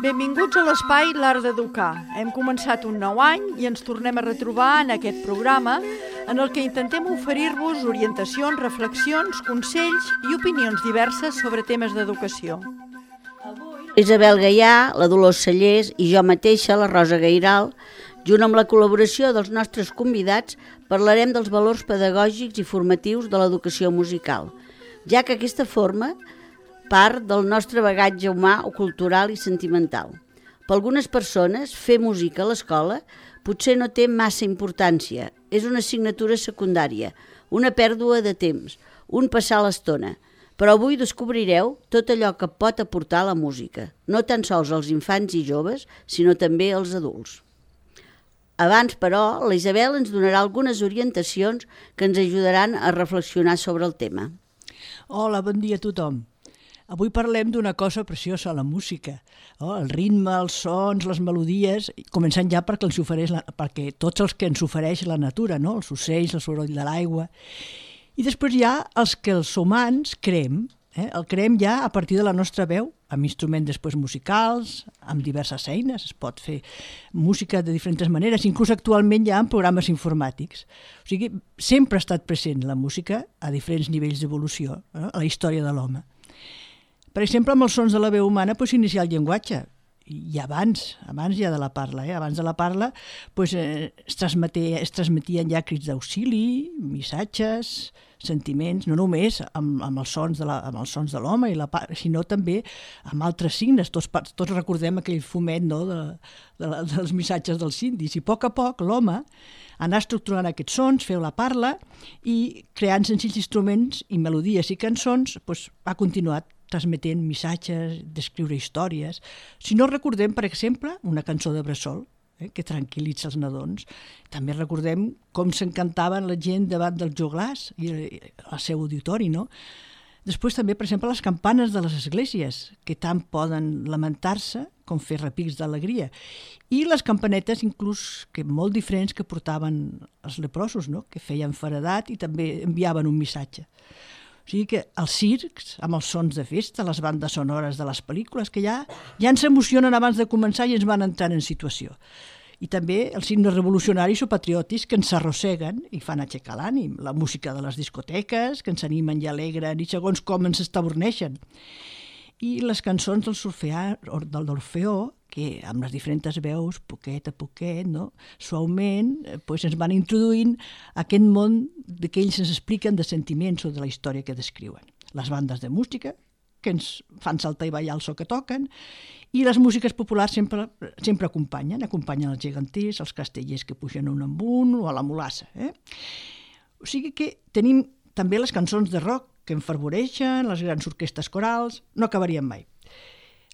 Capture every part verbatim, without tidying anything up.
Benvinguts a l'espai L'Art d'Educar. Hem començat un nou any i ens tornem a retrobar en aquest programa en el que intentem oferir-vos orientacions, reflexions, consells i opinions diverses sobre temes d'educació. Isabel Gaià, la Dolors Cellers i jo mateixa, la Rosa Gairal, junt amb la col·laboració dels nostres convidats, parlarem dels valors pedagògics i formatius de l'educació musical, ja que aquesta forma part del nostre bagatge humà o cultural i sentimental. Per algunes persones, fer música a l'escola potser no té massa importància, és una assignatura secundària, una pèrdua de temps, un passar l'estona. Però avui descobrireu tot allò que pot aportar la música, no tan sols als infants i joves, sinó també als adults. Abans, però, la Isabel ens donarà algunes orientacions que ens ajudaran a reflexionar sobre el tema. Hola, bon dia a tothom. Avui parlem d'una cosa preciosa, la música. Oh, el ritme, els sons, les melodies, començant ja perquè, els ofereix la, perquè tots els que ens ofereix la natura, no? Els ocells, el soroll de l'aigua. I després hi ha els que els humans creem, eh? El creem ja a partir de la nostra veu, amb instruments després musicals, amb diverses eines, es pot fer música de diferents maneres, inclús actualment ja en programes informàtics. O sigui, sempre ha estat present la música a diferents nivells d'evolució, eh? A la història de l'home. Per exemple, amb els sons de la veu humana pues, s'inicia el llenguatge, i abans, abans ja de la parla, eh? Abans de la parla pues, eh, es, transmetia, es transmetien ja crits d'auxili, missatges, sentiments, no només amb, amb, els sons de la, amb els sons de l'home, i la, sinó també amb altres signes. Tots, tots recordem aquell fumet, no? de, de la, dels missatges dels indis. I a poc a poc l'home anar estructurant aquests sons, feu la parla, i creant senzills instruments i melodies i cançons pues, ha continuat transmetent missatges, descriure històries. Si no recordem, per exemple, una cançó de bressol, eh, que tranquil·litza els nadons. També recordem com s'encantaven la gent davant del joglars i al seu auditori, no? Després també, per exemple, les campanes de les esglésies, que tant poden lamentar-se com fer repics d'alegria. I les campanetes, inclús, que molt diferents que portaven els leprosos, no? Que feien feredat i també enviaven un missatge. O sigui que els circs, amb els sons de festa, les bandes sonores de les pel·lícules, que ja, ja ens emocionen abans de començar i ens van entrant en situació. I també els himnes revolucionaris o patriòtics que ens arrosseguen i fan aixecar l'ànim. La música de les discoteques, que ens animen i alegren i segons com ens estaborneixen. I les cançons del Orfeà, del d'Orfeó, que amb les diferents veus, poquet a poquet, no? Suaument, pues ens van introduint a aquest món que ells ens expliquen de sentiments o de la història que descriuen. Les bandes de música, que ens fan saltar i ballar el so que toquen, i les músiques populars sempre, sempre acompanyen, acompanyen els geganters, els castellers que pugen un amb un o a la mulassa. Eh? O sigui que tenim també les cançons de rock que enfervoreixen, les grans orquestres corals, no acabarien mai.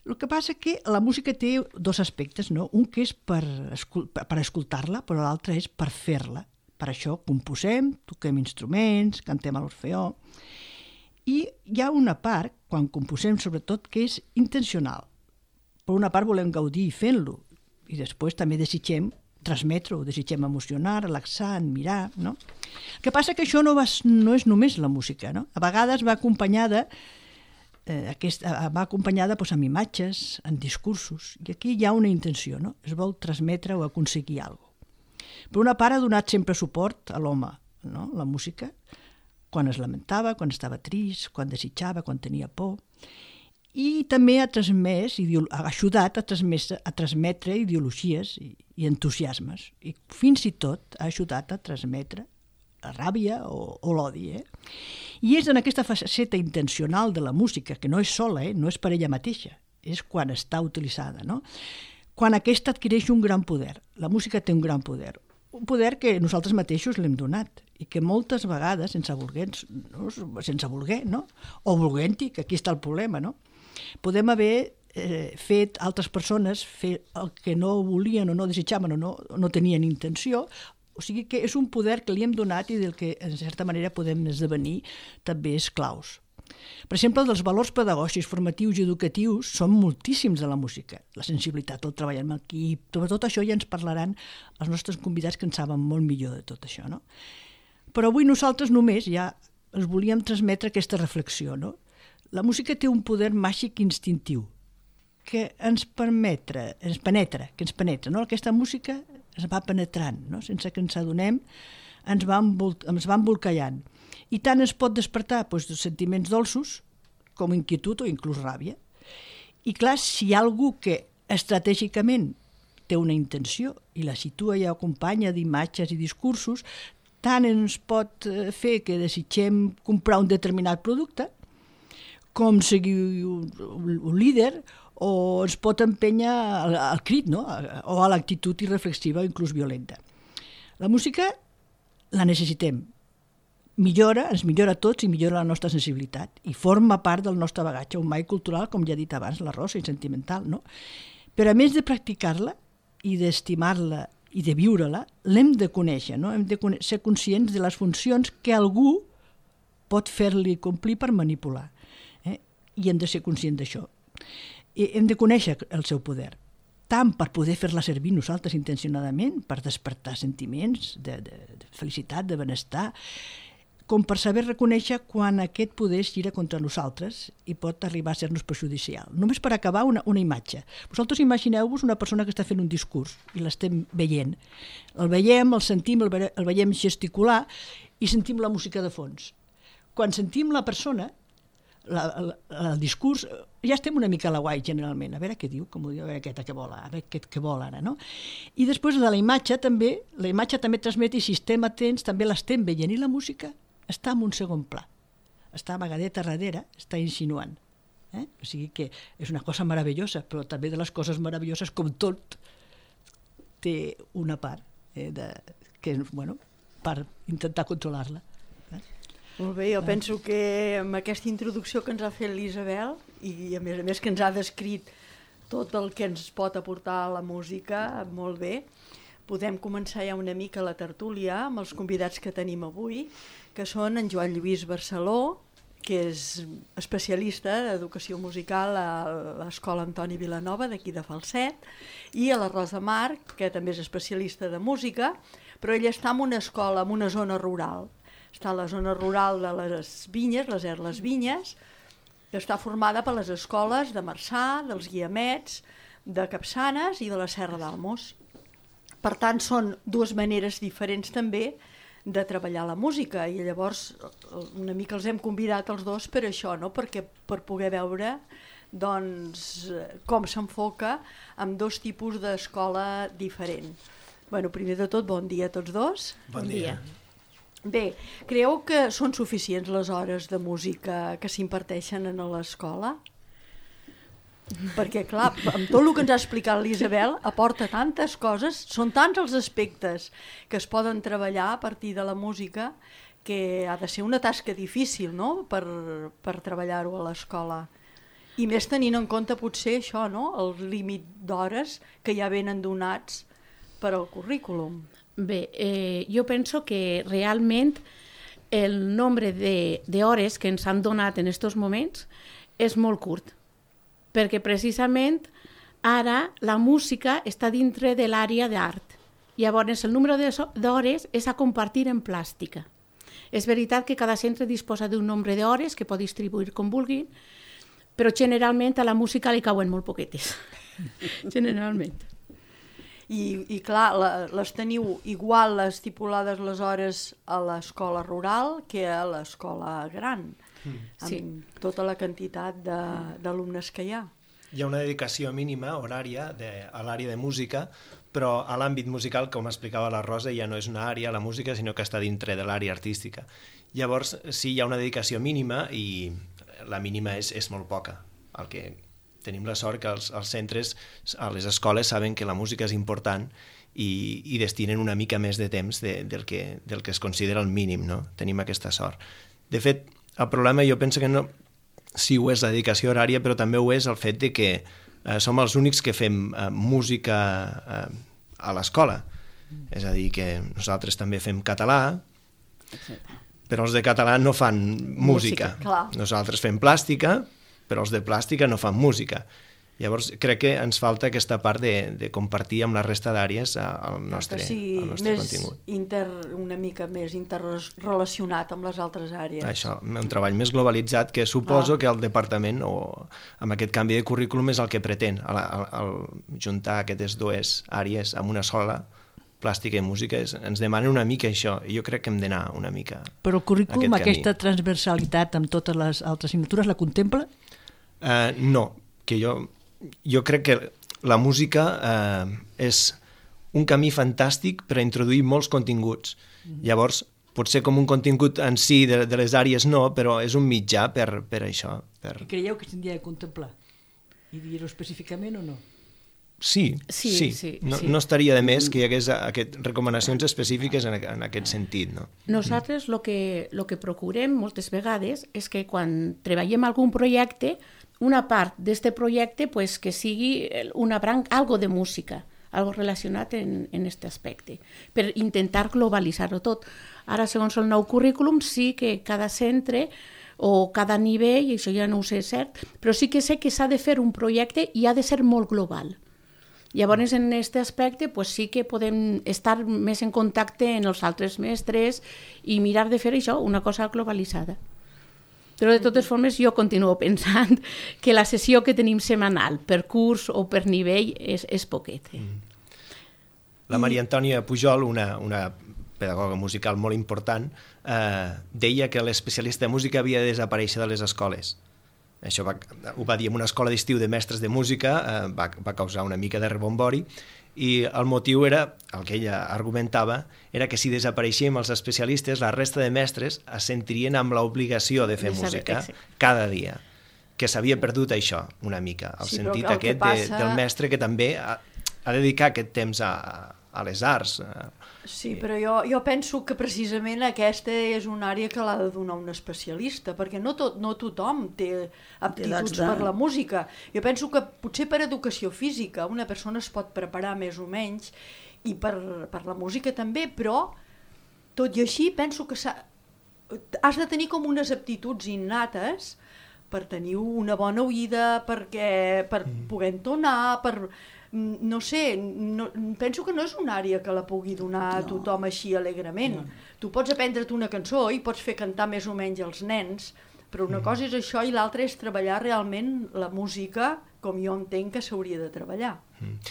El que passa és que la música té dos aspectes, no? Un que és per, escol- per escoltar-la, però l'altre és per fer-la. Per això composem, toquem instruments, cantem a l'Orfeó. I hi ha una part, quan composem sobretot, que és intencional. Per una part volem gaudir fent-lo, i després també desitgem transmetre-ho, desitgem emocionar, relaxar, admirar, no? El que passa és que això no, va, no és només la música, no? A vegades va acompanyada Eh, aquesta, va acompanyada doncs, amb imatges, en discursos, i aquí hi ha una intenció, no? Es vol transmetre o aconseguir alguna cosa. Per una part ha donat sempre suport a l'home, no? La música, quan es lamentava, quan estava trist, quan desitjava, quan tenia por, i també ha transmès, ha ajudat a transmetre, a transmetre ideologies i, i entusiasmes, i fins i tot ha ajudat a transmetre la ràbia o, o l'odi. Eh? I és en aquesta faceta intencional de la música, que no és sola, eh? No és per ella mateixa, és quan està utilitzada, no? Quan aquesta adquireix un gran poder. La música té un gran poder, un poder que nosaltres mateixos l'hem donat i que moltes vegades, sense voler, no? sense voler, no? O volent-hi, que aquí està el problema, no? Podem haver eh, fet altres persones fer el que no volien o no desitjaven o no, no tenien intenció. O sigui que és un poder que li hem donat i del que, en certa manera, podem esdevenir també esclaus. Per exemple, dels valors pedagògics, formatius i educatius són moltíssims de la música. La sensibilitat, el treball amb equip, tot això ja ens parlaran els nostres convidats que en saben molt millor de tot això, no? Però avui nosaltres només ja els volíem transmetre aquesta reflexió, no? La música té un poder màgic instintiu que ens permetre, ens penetra, que ens penetra, no? Aquesta música ens va penetrant, no? Sense que ens adonem, ens va, envolt, ens va embolcallant. I tant ens pot despertar doncs, sentiments dolços com inquietud o inclús ràbia. I clar, si hi ha algú que estratègicament té una intenció i la situa i acompanya d'imatges i discursos, tant ens pot fer que desitgem comprar un determinat producte, com seguir un, un líder, o ens pot empènyer al, al crit, no? O a l'actitud irreflexiva o inclús violenta. La música la necessitem. Millora, ens millora a tots i millora la nostra sensibilitat i forma part del nostre bagatge humà i cultural, com ja he dit abans, la rosa i sentimental, no? Però a més de practicar-la i d'estimar-la i de viure-la, l'hem de conèixer, no? Hem de ser conscients de les funcions que algú pot fer-li complir per manipular. Eh? I hem de ser conscients d'això. I hem de conèixer el seu poder, tant per poder fer-la servir nosaltres intencionadament, per despertar sentiments de, de, de felicitat, de benestar, com per saber reconèixer quan aquest poder es gira contra nosaltres i pot arribar a ser-nos perjudicial. Només per acabar, una, una imatge. Vosaltres imagineu-vos una persona que està fent un discurs i l'estem veient. El veiem, el sentim, el, ve el veiem gesticular i sentim la música de fons. Quan sentim la persona, la, la, el discurs, ja estem una mica a la guai generalment, a veure què diu, com ho diu, a veure aquesta que vol, a veure aquest que vol ara, no? I després de la imatge també, la imatge també transmet i si estem atents també l'estem veient i la música està en un segon pla, està amagadeta darrere, està insinuant. Eh? O sigui que és una cosa meravellosa, però també de les coses meravelloses, com tot, té una part eh, de, que, bueno, per intentar controlar-la. Eh? Molt bé, jo penso que amb aquesta introducció que ens ha fet l'Isabel i a més a més que ens ha descrit tot el que ens pot aportar la música, molt bé, podem començar ja una mica la tertúlia amb els convidats que tenim avui, que són en Joan Lluís Barceló, que és especialista d'educació musical a l'Escola Antoni Vilanova d'aquí de Falset, i a la Rosa Marc, que també és especialista de música, però ella està en una escola, en una zona rural. Està a la zona rural de les Vinyes, les Erles Vinyes, que està formada per les escoles de Marçà, dels Guiamets, de Capçanes i de la Serra d'Almos. Per tant, són dues maneres diferents també de treballar la música i llavors una mica els hem convidat els dos per això, no? Perquè per poder veure doncs, com s'enfoca amb dos tipus d'escola diferent. Bueno, primer de tot, bon dia a tots dos. Bon dia. Bé, creieu que són suficients les hores de música que s'imparteixen a l'escola? Perquè, clar, amb tot el que ens ha explicat l'Isabel, aporta tantes coses, són tants els aspectes que es poden treballar a partir de la música que ha de ser una tasca difícil, no?, per, per treballar-ho a l'escola. I més tenint en compte potser això, no?, el límit d'hores que ja venen donats per al currículum. Bé, eh, jo penso que realment el nombre d'hores que ens han donat en aquests moments és molt curt, perquè precisament ara la música està dintre de l'àrea d'art. Llavors, el número d'hores és a compartir en plàstica. És veritat que cada centre disposa d'un nombre d'hores que pot distribuir com vulgui, però generalment a la música li cauen molt poquetes. Generalment. I, i clar, la, les teniu igual estipulades les hores a l'escola rural que a l'escola gran, mm. amb sí. tota la quantitat d'alumnes que hi ha. Hi ha una dedicació mínima, horària, de, a l'àrea de música, però a l'àmbit musical, com explicava la Rosa, ja no és una àrea, la música, sinó que està dintre de l'àrea artística. Llavors, sí, hi ha una dedicació mínima i la mínima és, és molt poca. El que tenim la sort que els, els centres, a les escoles, saben que la música és important i, i destinen una mica més de temps de, del, que, del que es considera el mínim, no? Tenim aquesta sort. De fet, el problema jo penso que no, sí ho és la dedicació horària, però també ho és el fet de que eh, som els únics que fem eh, música eh, a l'escola. Mm. És a dir, que nosaltres també fem català, però els de català no fan música. música nosaltres fem plàstica, però els de plàstica no fan música. Llavors, crec que ens falta aquesta part de, de compartir amb la resta d'àrees el nostre, sí, el nostre més contingut. Inter, una mica més interrelacionat amb les altres àrees. Això, un treball més globalitzat que suposo ah. que el departament o amb aquest canvi de currículum és el que pretén, el, el, el juntar aquestes dues àrees amb una sola, plàstica i música, és, ens demanen una mica això, i jo crec que hem d'anar una mica Però el currículum, aquest aquesta transversalitat amb totes les altres assignatures, la contempla? Uh, no, que jo jo crec que la música eh, és un camí fantàstic per a introduir molts continguts. Mm-hmm. Llavors, potser com un contingut en si de, de les àrees no, però és un mitjà per, per això. Per... I creieu que s'hauria de contemplar? I dir-ho específicament o no? Sí, sí, sí. sí, no, sí. no estaria de més que hi hagués aquest, recomanacions específiques en, en aquest sentit. No? Nosaltres el que, lo que procurem moltes vegades és que quan treballem algun projecte, una part d'aquest projecte pues, que sigui una branca, algo de música, algo relacionat en, en aquest aspecte, per intentar globalitzar-ho tot. Ara, segons el nou currículum, sí que cada centre o cada nivell, i això ja no ho sé cert, però sí que sé que s'ha de fer un projecte i ha de ser molt global. Llavors, en aquest aspecte, pues, sí que podem estar més en contacte amb els altres mestres i mirar de fer això, una cosa globalitzada. Però de totes formes jo continuo pensant que la sessió que tenim setmanal per curs o per nivell és, és poquet. Eh? La Maria Antònia Pujol, una, una pedagoga musical molt important, eh, deia que l'especialista de música havia de desaparèixer de les escoles. Això va, ho va dir en una escola d'estiu de mestres de música, eh, va, va causar una mica de rebombori, i el motiu era, el que ella argumentava, era que si desapareixíem els especialistes, la resta de mestres es sentirien amb l'obligació de fer de saber, música sí. cada dia, que s'havia perdut això una mica, el sí, sentit el aquest passa... de, del mestre que també ha, ha de dedicar aquest temps a, a les arts. Sí, però jo, jo penso que precisament aquesta és una àrea que l'ha de donar un especialista, perquè no, tot, no tothom té aptituds de... per la música. Jo penso que potser per educació física una persona es pot preparar més o menys, i per, per la música també, però tot i així penso que has de tenir com unes aptituds innates per tenir una bona oïda, perquè, per poder entonar, per... no sé, no, penso que no és una àrea que la pugui donar a tothom així alegrement. No. Tu pots aprendre't una cançó i pots fer cantar més o menys els nens, però una cosa és això i l'altra és treballar realment la música com jo entenc que s'hauria de treballar.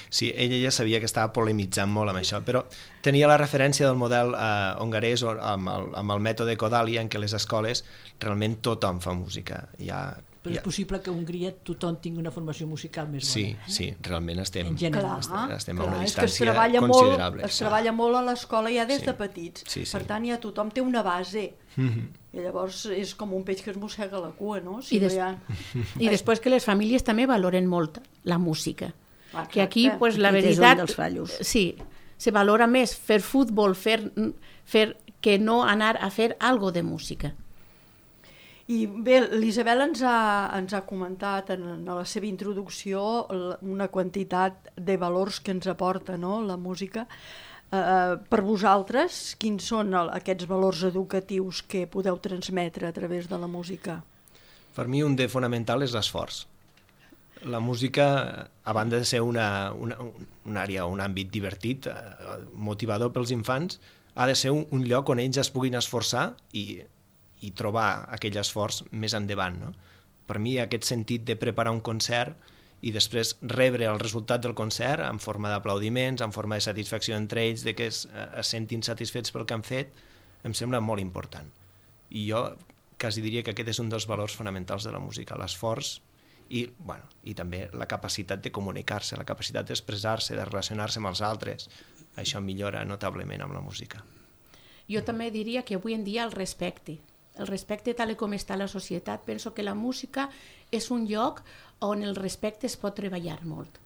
Sí, ella ja sabia que estava polemitzant molt amb això, però tenia la referència del model eh, hongarès amb el, amb el mètode Kodaly, en què les escoles realment tothom fa música. Ja, Però ja... és possible que a Hongria tothom tingui una formació musical més bona. Sí, sí, realment estem, Clar, estem, estem clar, a una és que es distància treballa considerable. Molt, es treballa molt a l'escola ja des Sí. de petits. Sí, sí. Per tant, ja tothom té una base. Mm-hmm. I llavors és com un peix que es mossega la cua, no? Si I, des... no hi ha... I després que les famílies també valoren molt la música. Exacte. Que aquí, pues, la Aquest és un veritat... dels fallos. Sí, se valora més fer futbol, fer, fer que no anar a fer algo de música. I bé, l'Isabel ens ha, ens ha comentat en, en la seva introducció una quantitat de valors que ens aporta, no?, la música. Uh, per vosaltres, quins són el, aquests valors educatius que podeu transmetre a través de la música? Per mi un de fonamental és l'esforç. La música, a banda de ser una, una, una àrea, un àmbit divertit, eh, motivador pels infants, ha de ser un, un lloc on ells es puguin esforçar i, i trobar aquell esforç més endavant. No? Per mi aquest sentit de preparar un concert i després rebre el resultat del concert en forma d'aplaudiments, en forma de satisfacció entre ells, de que es, es sentin satisfets pel que han fet, em sembla molt important. I jo quasi diria que aquest és un dels valors fonamentals de la música, l'esforç i, bueno, i també la capacitat de comunicar-se, la capacitat d'expressar-se, de relacionar-se amb els altres. Això millora notablement amb la música. Jo també diria que avui en dia el respecte. El respecte tal com està la societat, penso que la música és un lloc on el respecte es pot treballar molt.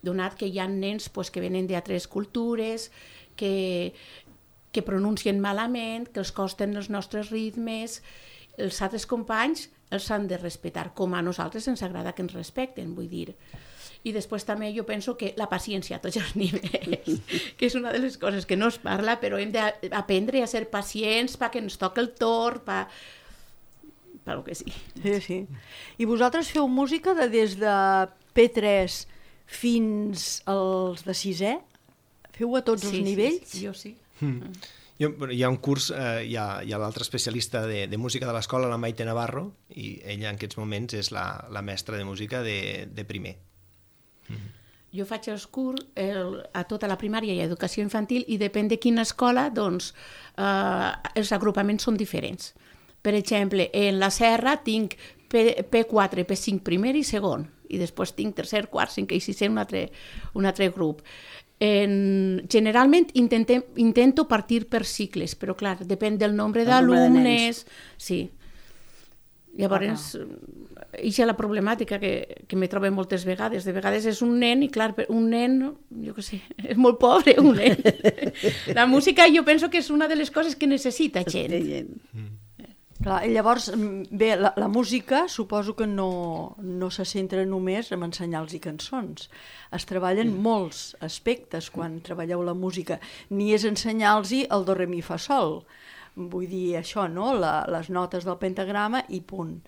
Donat que hi ha nens pues, que venen d'altres cultures, que, que pronuncien malament, que els costen els nostres ritmes, els altres companys els han de respectar, com a nosaltres ens agrada que ens respecten, vull dir. I després també jo penso que la paciència a tots els nivells, que és una de les coses que no es parla, però hem d'aprendre a ser pacients perquè ens toca el torn, per pel que sí. Sí, sí. I vosaltres feu música de des de P tres fins als de sisè? Feu a tots sí, els nivells? Sí, sí, jo sí. Mm. Jo, hi ha un curs, eh, hi ha, hi ha l'altre especialista de, de música de l'escola, la Maite Navarro, i ella en aquests moments és la, la mestra de música de, de primer. Mm. Jo faig els curs el, a tota la primària i educació infantil i depèn de quina escola, doncs, eh, els agrupaments són diferents. Per exemple, en la Serra tinc P quatre, P cinc primer i segon, i després tinc tercer, quart, cinquè i sisè un altre, un altre grup. En, generalment intentem, intento partir per cicles, però clar, depèn del nombre d'alumnes. Sí. Llavors, això és la problemàtica que, que me trobo moltes vegades. De vegades és un nen i, clar, un nen, jo què sé, és molt pobre, un nen. La música jo penso que és una de les coses que necessita gent. Mm. Clar, i llavors, bé, la, la música suposo que no, no se centra només en ensenyar-los cançons. Es treballen mm. molts aspectes quan treballeu la música. Ni és ensenyar-los el do, re, mi, fa, sol. Vull dir això, no? La, les notes del pentagrama i punt.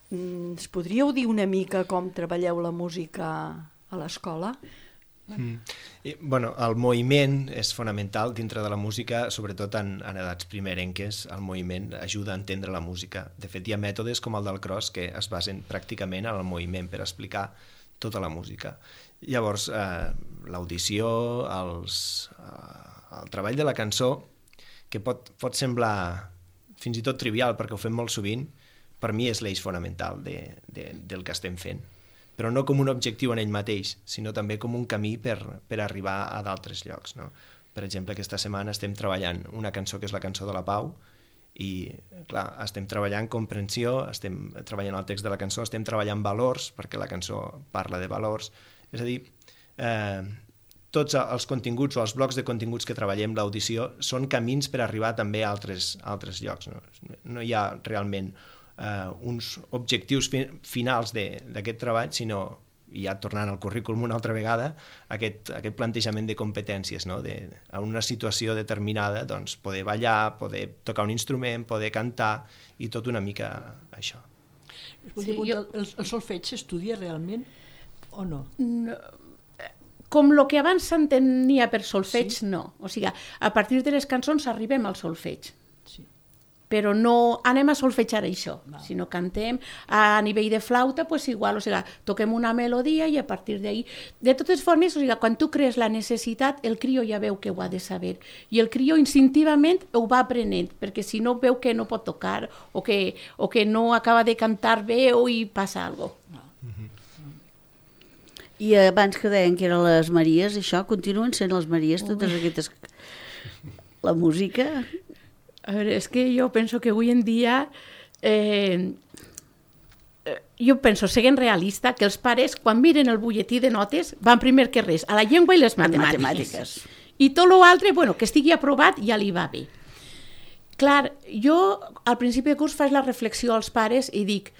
Ens podríeu dir una mica com treballeu la música a l'escola? Mm. I, bueno, el moviment és fonamental dintre de la música, sobretot en, en edats primerenques. El moviment ajuda a entendre la música. De fet, hi ha mètodes com el del cross que es basen pràcticament en el moviment per explicar tota la música. Llavors, eh, l'audició, els, eh, el treball de la cançó, que pot, pot semblar fins i tot trivial perquè ho fem molt sovint, per mi és l'eix fonamental de, de, del que estem fent. Però no com un objectiu en ell mateix, sinó també com un camí per, per arribar a d'altres llocs. No? Per exemple, aquesta setmana estem treballant una cançó que és la cançó de la Pau i, clar, estem treballant comprensió, estem treballant el text de la cançó, estem treballant valors, perquè la cançó parla de valors. És a dir, eh, tots els continguts o els blocs de continguts que treballem, l'audició, són camins per arribar també a altres, a altres llocs. No, no hi ha realment eh, uns objectius fi, finals d'aquest treball, sinó, ja tornant al currículum una altra vegada, aquest, aquest plantejament de competències, no? De, en una situació determinada, doncs, poder ballar, poder tocar un instrument, poder cantar, i tot una mica això. Sí, jo... el, el solfeig s'estudia realment o no? No. Com el que abans s'entenia per solfeig, sí? No. O sigui, a partir de les cançons arribem al solfeig. Sí. Però no anem a solfejar això, no. Sinó cantem a nivell de flauta, pues igual, o sigui, toquem una melodia i a partir d'ahí... De totes formes, o sigui, quan tu crees la necessitat, el crió ja veu que ho ha de saber. I el crió instintivament ho va aprenent, perquè si no veu que no pot tocar o que, o que no acaba de cantar bé o hi passa alguna cosa. No. I abans que deien que eren les Maries, això, continuen sent les Maries, totes aquestes... La música... A veure, és que jo penso que avui en dia... Eh, jo penso, seguint realista, que els pares, quan miren el butlletí de notes, van primer que res a la llengua i les matemàtiques. matemàtiques. I tot l'altre, bueno, que estigui aprovat, ja li va bé. Clar, jo al principi de curs faig la reflexió als pares i dic,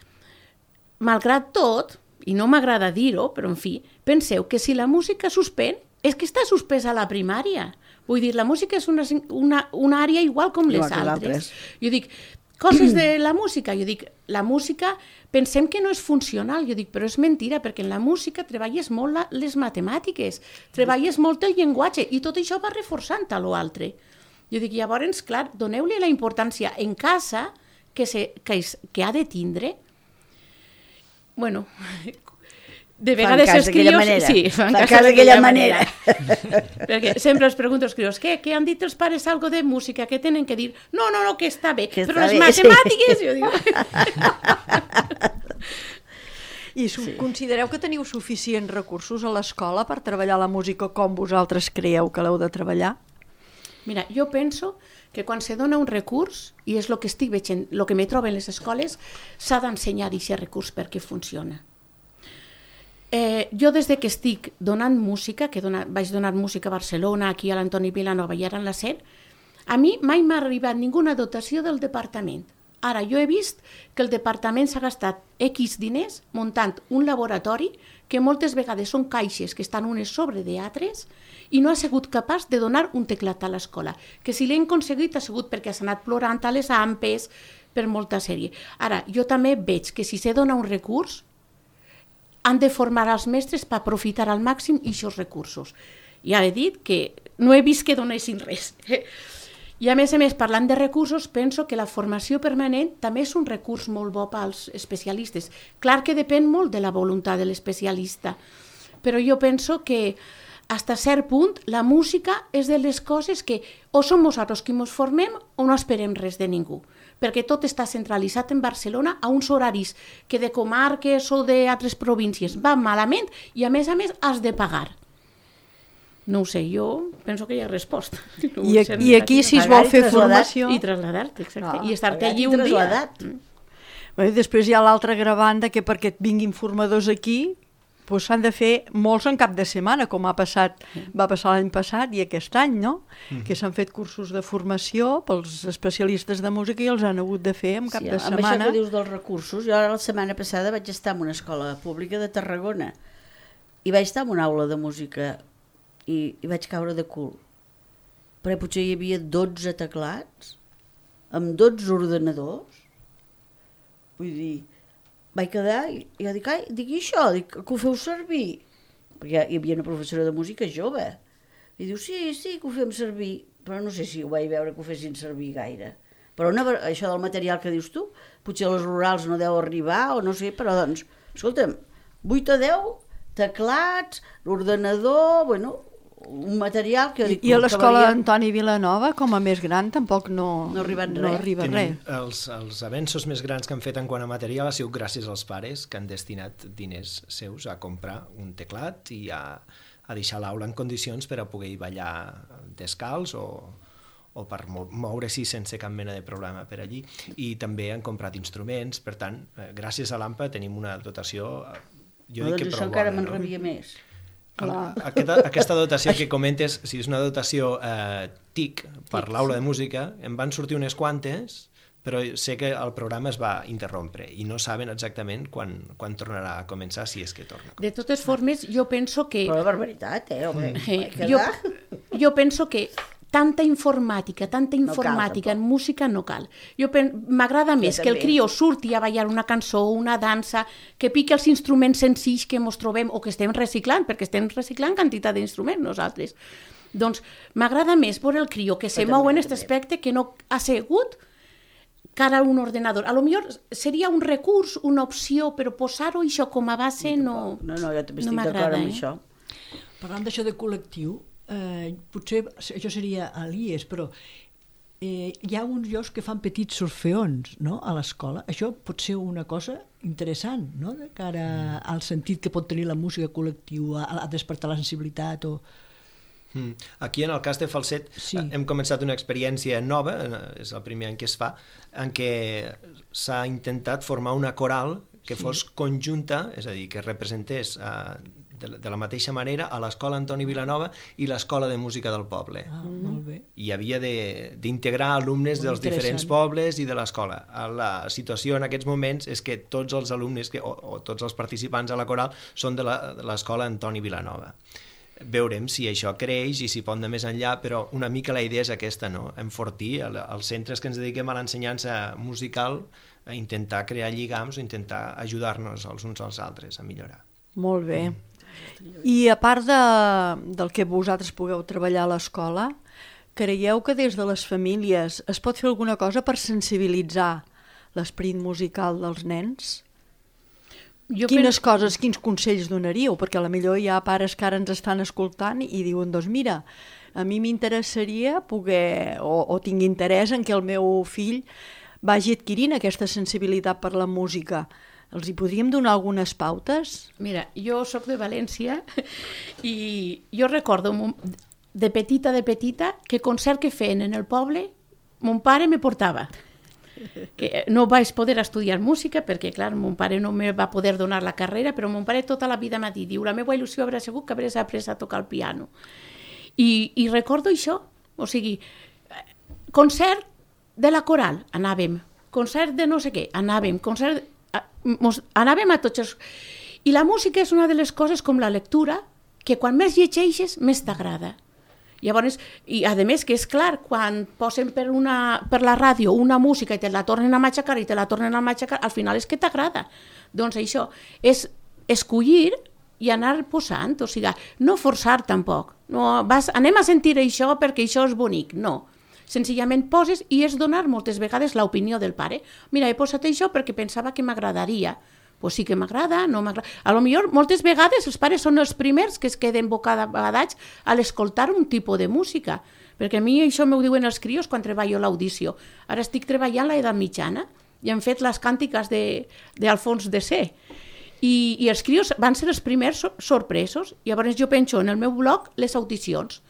malgrat tot, i no m'agrada dir-ho, però en fi, penseu que si la música suspèn, és que està suspesa a la primària. Vull dir, la música és una, una, una àrea igual com les igual altres. Jo dic, coses de la música, jo dic, la música pensem que no és funcional, jo dic, però és mentira, perquè en la música treballes molt la, les matemàtiques, treballes molt el llenguatge, i tot això va reforçant a l'altre. Jo dic, llavors, clar, doneu-li la importància en casa que, se, que, és, que ha de tindre. Bueno, de vegades els crios... Manera. Sí, fan cas cas d'aquella manera. manera. Perquè sempre els pregunto als crios, què, què han dit els pares algo de música? Què tenen que dir? No, no, no, que està bé. Que però està les bé, matemàtiques... Sí. Jo dic... I sí. Considereu que teniu suficients recursos a l'escola per treballar la música com vosaltres creieu que l'heu de treballar? Mira, jo penso que quan se dona un recurs, i és el que estic veient, el que me trobo en les escoles, s'ha d'ensenyar aquest recurs perquè funciona. Eh, jo des de que estic donant música, que dona, vaig donar música a Barcelona, aquí a l'Antoni Vilanova i ara en la S E R, a mi mai m'ha arribat ninguna dotació del departament. Ara, jo he vist que el departament s'ha gastat X diners muntant un laboratori que moltes vegades són caixes que estan unes sobre d'altres i no ha sigut capaç de donar un teclat a l'escola. Que si l'hem aconseguit ha sigut perquè s'ha anat plorant a les ampes per molta sèrie. Ara, jo també veig que si s'he donat un recurs, han de formar els mestres per aprofitar al màxim aquests recursos. Ja he dit que no he vist que donessin res. I a més a més, parlant de recursos, penso que la formació permanent també és un recurs molt bo pels especialistes. Clar que depèn molt de la voluntat de l'especialista, però jo penso que fins a cert punt la música és de les coses que o som nosaltres qui ens formem o no esperem res de ningú, perquè tot està centralitzat en Barcelona a uns horaris que de comarques o d'altres províncies van malament i a més a més has de pagar. No ho sé, jo penso que hi ha resposta. No I, a, I aquí, si es vol fer formació... I traslladar-te, exacte. Ah, I estar-te allí un dia. Bé, després hi ha l'altra gravanda que perquè et vinguin formadors aquí doncs s'han de fer molts en cap de setmana, com ha passat, va passar l'any passat i aquest any, no? Mm. Que s'han fet cursos de formació pels especialistes de música i els han hagut de fer en cap sí, de amb setmana. Amb això que dius dels recursos, jo ara la setmana passada vaig estar en una escola pública de Tarragona i vaig estar en una aula de música i, i vaig caure de cul. Però potser hi havia dotze teclats amb dotze ordenadors. Vull dir, vaig quedar i jo dic, ai, digui això, dic, que ho feu servir? Perquè hi havia una professora de música jove. I diu, sí, sí, que ho fem servir, però no sé si ho vaig veure que ho fessin servir gaire. Però una, això del material que dius tu, potser a les rurals no deu arribar o no sé, però doncs, escolta'm, vuit a deu teclats, l'ordenador, bueno, un material que... I, i a l'escola Antoni Vilanova, com a més gran, tampoc no, no, arribat no arriba res. Els, els avenços més grans que han fet en quant a material ha sigut gràcies als pares que han destinat diners seus a comprar un teclat i a, a deixar l'aula en condicions per a poder ballar descalç o, o per moure-s'hi sense cap mena de problema per allí. I també han comprat instruments, per tant, gràcies a l'A M P A tenim una dotació, jo no, dic que doncs prou això encara bona. me'n rebia més. Aquesta, aquesta dotació que comentes, si és una dotació eh, T I C per l'aula de música, em van sortir unes quantes, però sé que el programa es va interrompre i no saben exactament quan, quan tornarà a començar, si és que torna. De totes formes, jo penso que... Però la barbaritat, eh? Home, eh jo, jo penso que tanta informàtica, tanta informàtica no cal, en música no cal. Jo m'agrada més que el crió surti a ballar una cançó, una dansa, que pique els instruments senzills que ens trobem o que estem reciclant, perquè estem reciclant quantitat d'instruments nosaltres. Doncs m'agrada més veure el crió que se mou en aquest aspecte que no ha assegut cara a un ordenador. A lo millor seria un recurs, una opció, però posar-ho això com a base no No, no, jo també estic no d'acord amb eh? això. Parlant d'això de col·lectiu, eh, potser això seria a l'I E S, però eh, hi ha uns llocs que fan petits sorfeons, no?, a l'escola. Això pot ser una cosa interessant, no?, de cara al sentit que pot tenir la música col·lectiva, a, a despertar la sensibilitat o... Mm. Aquí en el cas de Falset sí. hem començat una experiència nova, és el primer any que es fa, en què s'ha intentat formar una coral que sí. fos conjunta, és a dir, que representés uh, de, de la mateixa manera a l'Escola Antoni Vilanova i l'Escola de Música del Poble. Ah, molt bé. I havia d'integrar alumnes molt dels diferents pobles i de l'escola. La situació en aquests moments és que tots els alumnes que, o, o tots els participants a la coral són de l'Escola Antoni Vilanova. Veurem si això creix i si pot anar més enllà, però una mica la idea és aquesta, no? Enfortir els centres que ens dediquem a l'ensenyança musical, a intentar crear lligams o intentar ajudar-nos els uns als altres a millorar. Molt bé. I a part de, del que vosaltres pugueu treballar a l'escola, creieu que des de les famílies es pot fer alguna cosa per sensibilitzar l'esperit musical dels nens? Jo Quines penso... coses, quins consells donaríeu? Perquè a la millor hi ha pares que ara ens estan escoltant i diuen, doncs mira, a mi m'interessaria poder, o, o tinc interès en que el meu fill vagi adquirint aquesta sensibilitat per la música. Els hi podríem donar algunes pautes? Mira, jo sóc de València i jo recordo de petita, de petita, que concert que feien en el poble, mon pare me portava. Que no vaig poder estudiar música perquè, clar, mon pare no me va poder donar la carrera, però mon pare tota la vida m'ha dit, diu, la meva il·lusió haurà sigut que hauràs après a tocar el piano. I, i recordo això, o sigui, concert de la coral, anàvem, concert de no sé què, anàvem, concert... Mos, anàvem a tots els... I la música és una de les coses com la lectura, que quan més llegeixes, més t'agrada. Llavors, i a més que és clar, quan posen per, una, per la ràdio una música i te la tornen a matxacar i te la tornen a matxacar, al final és que t'agrada. Doncs això, és escollir i anar posant, o sigui, no forçar tampoc. No, vas, anem a sentir això perquè això és bonic, no. Senzillament poses i és donar moltes vegades l'opinió del pare. Mira, he posat això perquè pensava que m'agradaria. Pues sí que m'agrada, no m'agrada. A lo millor, moltes vegades, els pares són els primers que es queden bocadats a l'escoltar un tipus de música. Perquè a mi això m'ho diuen els crios quan treballo l'audició. Ara estic treballant l'edat mitjana i hem fet les càntiques d'Alfons de C. I, I els crios van ser els primers sorpresos. Llavors jo penso en el meu blog les audicions.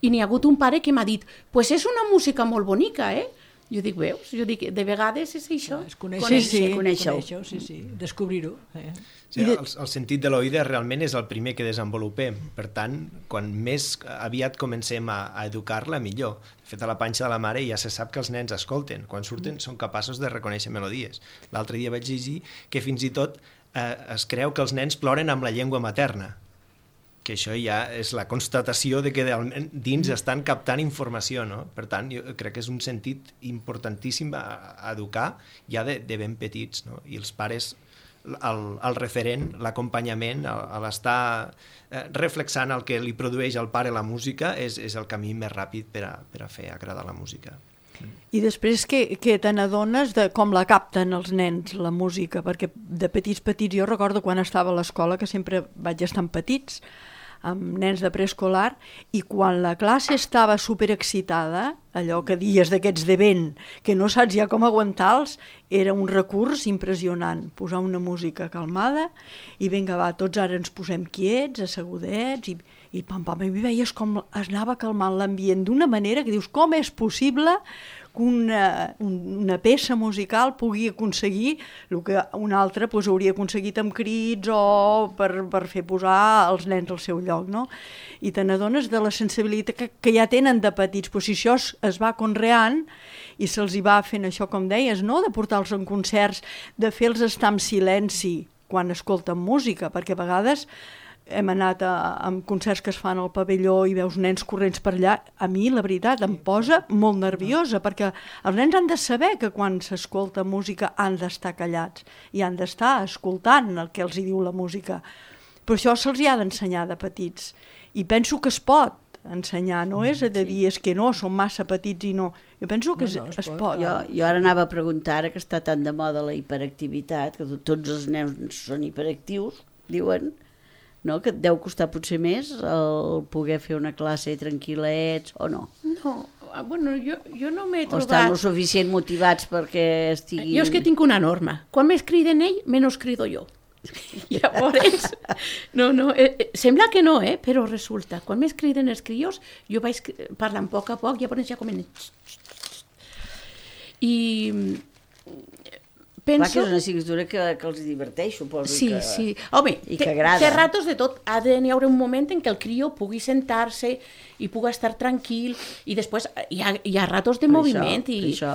I n'hi ha hagut un pare que m'ha dit pues és una música molt bonica, eh? Jo dic, veus? Jo dic, de vegades és això. És conèixer, sí, sí, conèixer-ho. conèixer sí, sí, descobrir-ho. Eh? Sí, el, el sentit de l'oïda realment és el primer que desenvolupem. Per tant, quan més aviat comencem a, a educar-la, millor. De fet, a la panxa de la mare ja se sap que els nens escolten. Quan surten són capaços de reconèixer melodies. L'altre dia vaig llegir que fins i tot eh, es creu que els nens ploren amb la llengua materna, que això ja és la constatació de que dins estan captant informació, no? Per tant, jo crec que és un sentit importantíssim a, a educar ja de, de ben petits, no? I els pares, el, el referent, l'acompanyament, l'estar eh, reflexant el que li produeix al pare la música és, és el camí més ràpid per a, per a fer agradar la música. I després que, que te n'adones de com la capten els nens, la música, perquè de petits petits, jo recordo quan estava a l'escola, que sempre vaig estar amb petits, amb nens de preescolar, i quan la classe estava superexcitada, allò que dies d'aquests de vent, que no saps ja com aguantar-los, era un recurs impressionant, posar una música calmada, i vinga va, tots ara ens posem quiets, assegudets, i, i pam, pam, i veies com es anava calmant l'ambient d'una manera que dius, com és possible que una, una peça musical pugui aconseguir el que una altra pues, hauria aconseguit amb crits o per, per fer posar els nens al seu lloc, no? I te n'adones de la sensibilitat que, que ja tenen de petits, però si això es, es va conreant i se'ls hi va fent això, com deies, no? De portar-los en concerts, de fer-los estar en silenci quan escolten música, perquè a vegades hem anat a, a concerts que es fan al pavelló i veus nens corrents per allà. A mi, la veritat, em posa molt nerviosa, perquè els nens han de saber que quan s'escolta música han d'estar callats i han d'estar escoltant el que els hi diu la música. Però això se'ls hi ha d'ensenyar de petits. I penso que es pot ensenyar, no és a de dir és que no, són massa petits i no. Jo penso que no, no, es, es pot. Jo, jo ara anava a preguntar, ara que està tan de moda la hiperactivitat, que tots els nens són hiperactius, diuen, no? Que et deu costar potser més el poder fer una classe tranquil·lets o no? No, bueno, jo, jo no m'he trobat... O estan lo suficient motivats perquè estiguin... Jo és que tinc una norma. Quan més criden ell, menys crido jo. Llavors, no, no, eh, sembla que no, eh, però resulta, quan més criden els crios, jo vaig parlant a poc a poc, llavors ja comencen... I... Penso... Clar que és una assignatura que, que els diverteix, suposo. Sí, que... sí. Home, i que agrada. Té ratos de tot. Ha d'hi haver un moment en què el crió pugui sentar-se i pugui estar tranquil i després hi ha, hi ha ratos de per moviment. Això, i... això.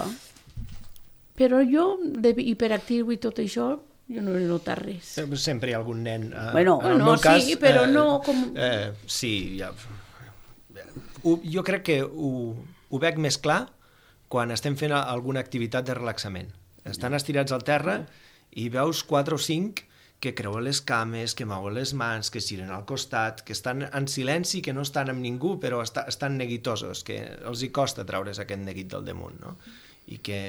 Però jo, de hiperactiu i tot això, jo no he notat res. Sempre hi ha algun nen... Eh, bueno, en el no, meu cas, sí, però eh, no com... Eh, sí, ja... Ho, jo crec que ho, ho veig més clar quan estem fent alguna activitat de relaxament. Estan estirats al terra i veus quatre o cinc que creuen les cames, que mouen les mans, que giren al costat, que estan en silenci, que no estan amb ningú, però està, estan neguitosos, que els hi costa treure's aquest neguit del damunt, no? I que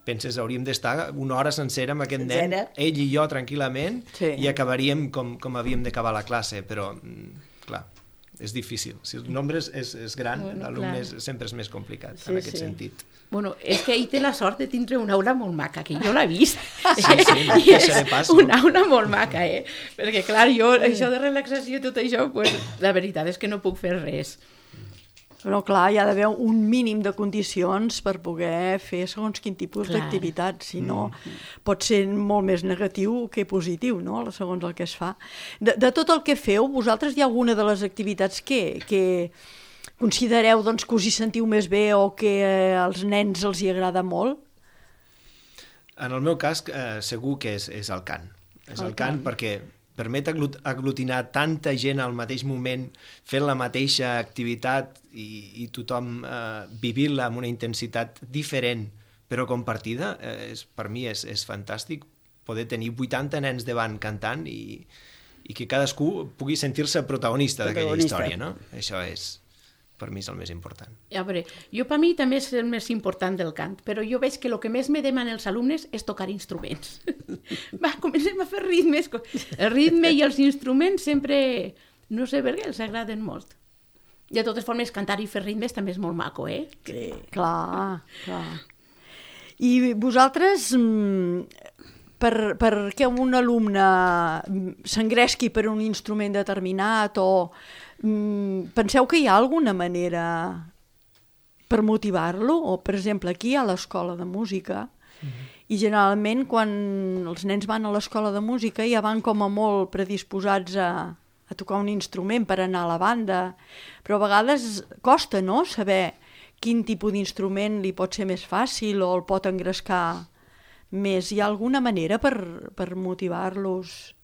penses, hauríem d'estar una hora sencera amb aquest nen, ell i jo tranquil·lament, sí. I acabaríem com, com havíem d'acabar la classe, però, clar, és difícil. Si el nombre és, és, és gran, bueno, l'alumne sempre és més complicat, sí, en aquest sí. sentit. Bueno, és que ell té la sort de tindre una aula molt maca, que jo l'he vist. Sí, sí, no té ser de pas, no? Una aula molt maca, eh? Perquè, clar, jo, això de relaxació i tot això, pues, la veritat és que no puc fer res. Però, clar, hi ha d'haver un mínim de condicions per poder fer segons quin tipus d'activitat, si no mm. pot ser molt més negatiu que positiu, no?, segons el que es fa. De, de tot el que feu, vosaltres hi ha alguna de les activitats que... que considereu doncs, que us hi sentiu més bé o que eh, als nens els hi agrada molt? En el meu cas, eh, segur que és, és el cant. És el, el cant, cant perquè permet aglut aglutinar tanta gent al mateix moment, fent la mateixa activitat i, i tothom eh, vivint-la amb una intensitat diferent però compartida. Eh, és, per mi és, és fantàstic poder tenir vuitanta nens davant cantant i, i que cadascú pugui sentir-se protagonista d'aquella Protagonista. història, no? Això és, per mi és el més important. A veure, jo per mi també és el més important del cant, però jo veig que el que més me demanen els alumnes és tocar instruments. Va, comencem a fer ritmes. El ritme i els instruments sempre, no sé per què, els agraden molt. De totes formes, cantar i fer ritmes també és molt maco, eh? Sí. Clar, clar. I vosaltres, per, per què un alumne s'engresqui per un instrument determinat o penseu que hi ha alguna manera per motivar-lo? O, per exemple, aquí a l'escola de música, mm-hmm. i generalment quan els nens van a l'escola de música ja van com a molt predisposats a, a tocar un instrument per anar a la banda, però a vegades costa, no?, saber quin tipus d'instrument li pot ser més fàcil o el pot engrescar més. Hi ha alguna manera per, per motivar-los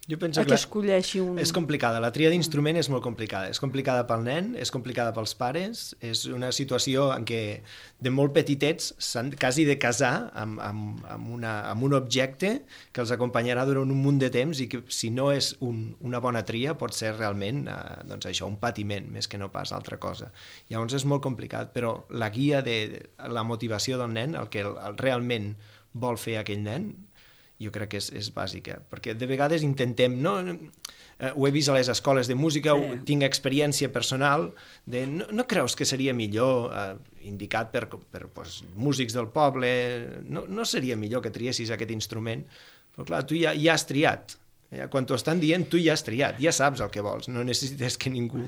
Jo penso a que escolleixi un... És complicada, la tria d'instrument és molt complicada. És complicada pel nen, és complicada pels pares, és una situació en què de molt petitets s'han quasi de casar amb, amb, amb, una, amb un objecte que els acompanyarà durant un munt de temps i que si no és un, una bona tria pot ser realment eh, doncs això, un patiment més que no pas altra cosa. Llavors és molt complicat, però la guia de, de la motivació del nen, el que el, el realment vol fer aquell nen, jo crec que és, és bàsica, perquè de vegades intentem, no, eh, ho he vist a les escoles de música, sí. tinc experiència personal, de no, no creus que seria millor, eh, indicat per, per pues, músics del poble, no, no seria millor que triessis aquest instrument? Però clar, tu ja, ja has triat, ja, quan t'ho estan dient tu ja has triat, ja saps el que vols, no necessites que ningú...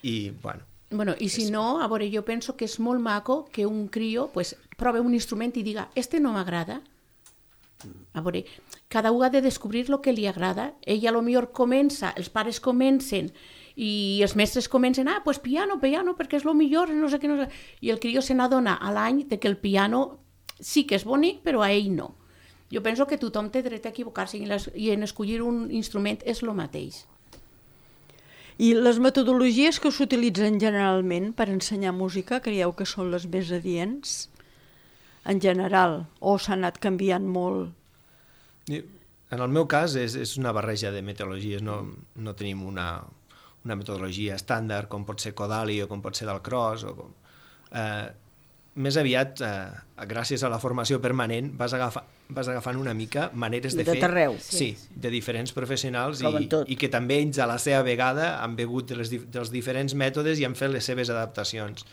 I, bueno... Bueno, i si no, a veure, jo penso que és molt maco que un crio pues, prove un instrument i diga, este no m'agrada. A veure, cada un ha de descobrir el que li agrada. Ella a lo millor comença, els pares comencen i els mestres comencen, ah, pues piano, piano, perquè és el millor, no sé què, no sé. I el crió se n'adona a l'any de que el piano sí que és bonic, però a ell no. Jo penso que tothom té dret a equivocar-se i, les, i en escollir un instrument és el mateix. I les metodologies que s'utilitzen generalment per ensenyar música, creieu que són les més adients? En general, o s'ha anat canviant molt? En el meu cas és, és una barreja de metodologies, no, no tenim una, una metodologia estàndard com pot ser Kodali o com pot ser Dalcroze. O com, eh, més aviat, eh, gràcies a la formació permanent, vas, agafar, vas agafant una mica maneres de, de fer... Arreu. Sí, de diferents professionals i, i que també ells a la seva vegada han begut de les, dels diferents mètodes i han fet les seves adaptacions.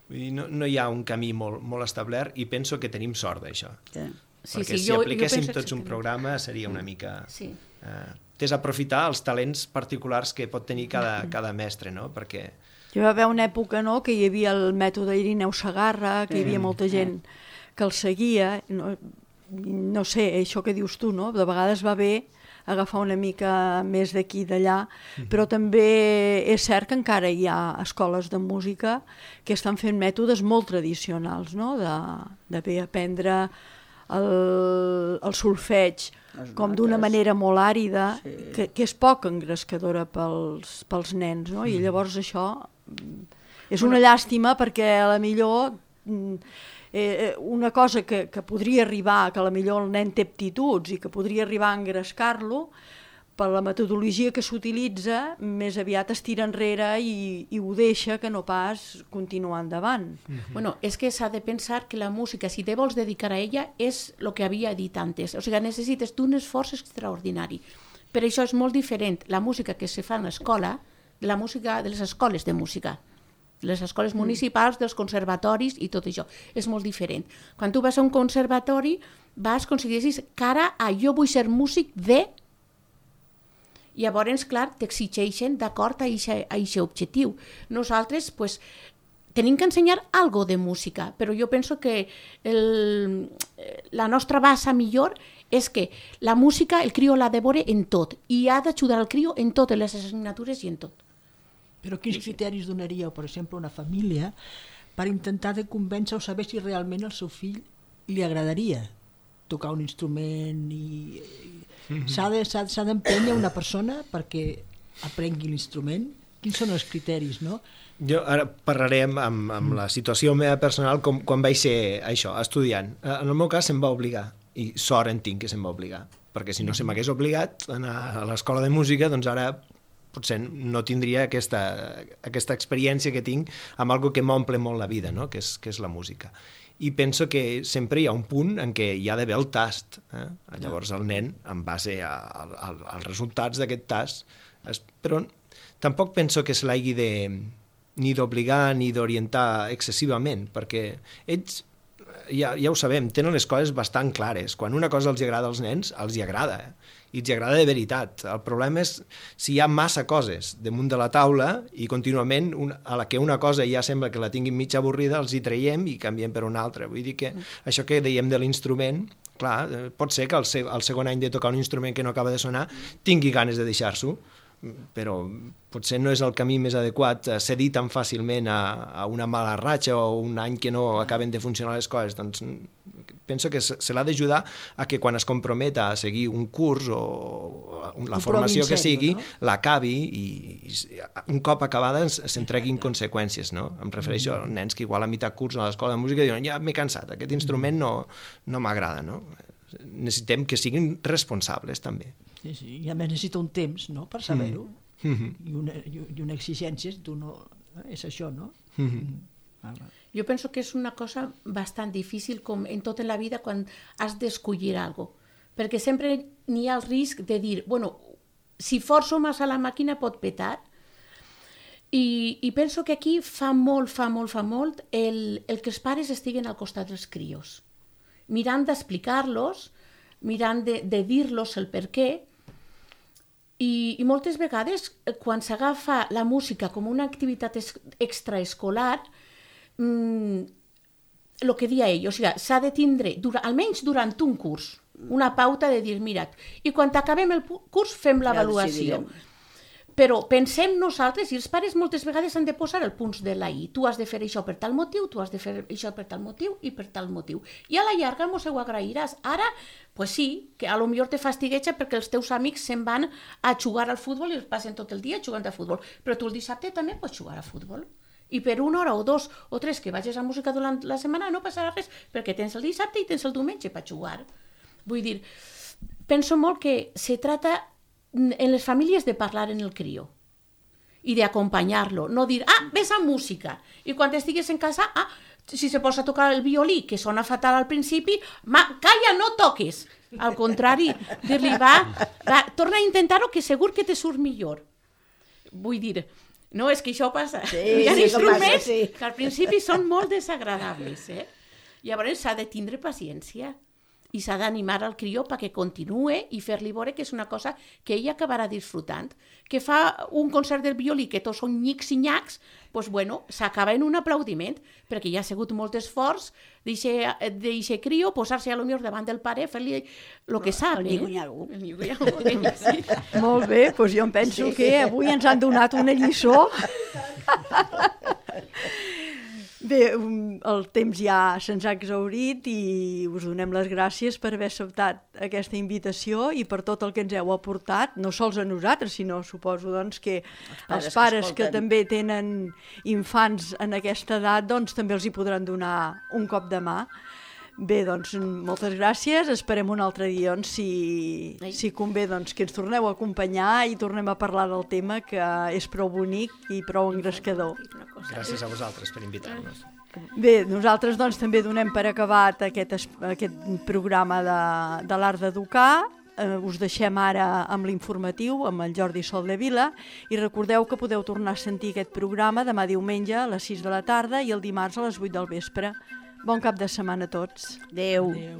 No, no hi ha un camí molt, molt establert i penso que tenim sort d'això. Sí. Sí, perquè sí, si jo, apliquéssim jo tots un programa seria una mica... Sí. Eh, desaprofitar els talents particulars que pot tenir cada, cada mestre, no? Perquè... Hi va haver una època, no?, que hi havia el mètode Irineu Segarra, que hi havia molta gent que el seguia. No, no sé, això que dius tu, no? De vegades va bé agafar una mica més d'aquí i d'allà, però també és cert que encara hi ha escoles de música que estan fent mètodes molt tradicionals, no? De, de bé aprendre el, el solfeig com d'una manera molt àrida, sí. que, que és poc engrescadora pels, pels nens, no? I llavors això és una llàstima perquè a la millor... Eh, una cosa que, que podria arribar, que a la millor el nen té aptituds i que podria arribar a engrescar-lo, per la metodologia que s'utilitza, més aviat es tira enrere i, i ho deixa que no pas continuar endavant. Mm-hmm. Bueno, és que s'ha de pensar que la música, si te vols dedicar a ella, és el que havia dit antes. O sigui, necessites d'un esforç extraordinari. Per això és molt diferent la música que se fa en l'escola de la música de les escoles de música. Les escoles municipals, dels conservatoris i tot això. És molt diferent. Quan tu vas a un conservatori, vas, aconsegueixis cara a jo vull ser músic de... Llavors, clar, t'exigeixen d'acord a aquest objectiu. Nosaltres, pues, tenim que ensenyar algo de música, però jo penso que el, la nostra base millor és que la música el crió l'ha de veure en tot i ha d'ajudar el crió en totes les assignatures i en tot. Però quins criteris donaríeu, per exemple, a una família per intentar de convèncer o saber si realment al seu fill li agradaria tocar un instrument i... Mm-hmm. S'ha de, s'ha, s'ha d'empènyer una persona perquè aprengui l'instrument? Quins són els criteris, no? Jo ara parlaré amb, amb, amb la situació meva personal com, quan vaig ser això, estudiant. En el meu cas se'm va obligar, i sort en tinc que se'm va obligar. perquè si no se m'hagués obligat a anar a l'escola de música, doncs ara potser no tindria aquesta, aquesta experiència que tinc amb algo que m'omple molt la vida, no? que, és, que és la música. I penso que sempre hi ha un punt en què hi ha d'haver el tast. Eh? Llavors el nen, en base a, a, a, als resultats d'aquest tast, es, però tampoc penso que se l'hagi de ni d'obligar ni d'orientar excessivament, perquè ells, ja, ja ho sabem, tenen les coses bastant clares. Quan una cosa els agrada als nens, els hi agrada, eh? I els agrada de veritat. El problema és si hi ha massa coses damunt de la taula i contínuament una, a la que una cosa ja sembla que la tinguin mitja avorrida, els hi traiem i canviem per una altra. Vull dir que això que dèiem de l'instrument, clar, pot ser que al, se al segon any de tocar un instrument que no acaba de sonar tingui ganes de deixar-s'ho, però potser no és el camí més adequat cedir tan fàcilment a, a una mala ratxa o un any que no acaben de funcionar les coses. Doncs penso que se, se l'ha d'ajudar a que quan es comprometa a seguir un curs o la formació que sigui, no? L'acabi i, i un cop acabada s'entreguin conseqüències, no? Em refereixo a nens que igual a mitjà curs a l'escola de música diuen ja m'he cansat, aquest instrument no, no m'agrada, no? Necessitem que siguin responsables també. Sí, sí, i a més necessita un temps, no?, per saber-ho, mm. I, una, i una exigència, tu no, és això, no? Mm. Ah, jo penso que és una cosa bastant difícil, com en tot en la vida, quan has d'escollir alguna cosa, perquè sempre n'hi ha el risc de dir, bueno, si forço massa la màquina pot petar, i, i penso que aquí fa molt, fa molt, fa molt el, el que els pares estiguen al costat dels crios, mirant d'explicar-los, mirant de, de dir-los el per què, i, i moltes vegades quan s'agafa la música com una activitat es, extraescolar, mmm, el que dia ell, o sigui, s'ha de tindre, dura, almenys durant un curs, una pauta de dir, mira, i quan acabem el curs fem l'avaluació. Ja però pensem nosaltres, i els pares moltes vegades han de posar el punts de la i. Tu has de fer això per tal motiu, tu has de fer això per tal motiu i per tal motiu. I a la llarga mos ho agrairàs. Ara, pues sí, que a lo millor te fastigueja perquè els teus amics se'n van a jugar al futbol i els passen tot el dia jugant a futbol. Però tu el dissabte també pots jugar a futbol. I per una hora o dos o tres que vagis a música durant la setmana no passarà res, perquè tens el dissabte i tens el diumenge per jugar. Vull dir, penso molt que se trata en les famílies de parlar en el crió i d'acompanyar-lo, no dir, ah, ves a música, i quan estigues en casa, ah, si se posa a tocar el violí, que sona fatal al principi, ma, calla, no toques. Al contrari, dir-li, va, va, torna a intentar-ho, que segur que te surt millor. Vull dir, no, és que això passa. Sí, Hi ha sí, instruments passa, sí. que al principi són molt desagradables, eh? Llavors s'ha de tindre paciència i s'ha d'animar al crió perquè continue i fer-li veure que és una cosa que ell acabarà disfrutant. Que fa un concert del violí que tots són nyics i nyacs, doncs bueno, s'acaba en un aplaudiment, perquè hi ha sigut molt esforç d'aquest crió posar-se a lo millor davant del pare, fer-li el que sap. El nyigo-nyago. El nyigo-nyago, sí. Molt bé, doncs jo em penso sí. que avui ens han donat una lliçó. Bé, el temps ja se'ns ha exhaurit i us donem les gràcies per haver acceptat aquesta invitació i per tot el que ens heu aportat, no sols a nosaltres, sinó suposo doncs, que els pares, els pares que, que també tenen infants en aquesta edat doncs, també els hi podran donar un cop de mà. Bé, doncs, moltes gràcies. Esperem un altre dia, doncs, si, si convé, doncs, que ens torneu a acompanyar i tornem a parlar del tema, que és prou bonic i prou engrescador. Gràcies a vosaltres per invitar-nos. Bé, nosaltres doncs, també donem per acabat aquest, aquest programa de, de l'Art d'Educar. Eh, us deixem ara amb l'informatiu, amb el Jordi Soldevila, i recordeu que podeu tornar a sentir aquest programa demà diumenge a les sis de la tarda i el dimarts a les vuit del vespre. Bon cap de setmana a tots. Adéu. Adéu.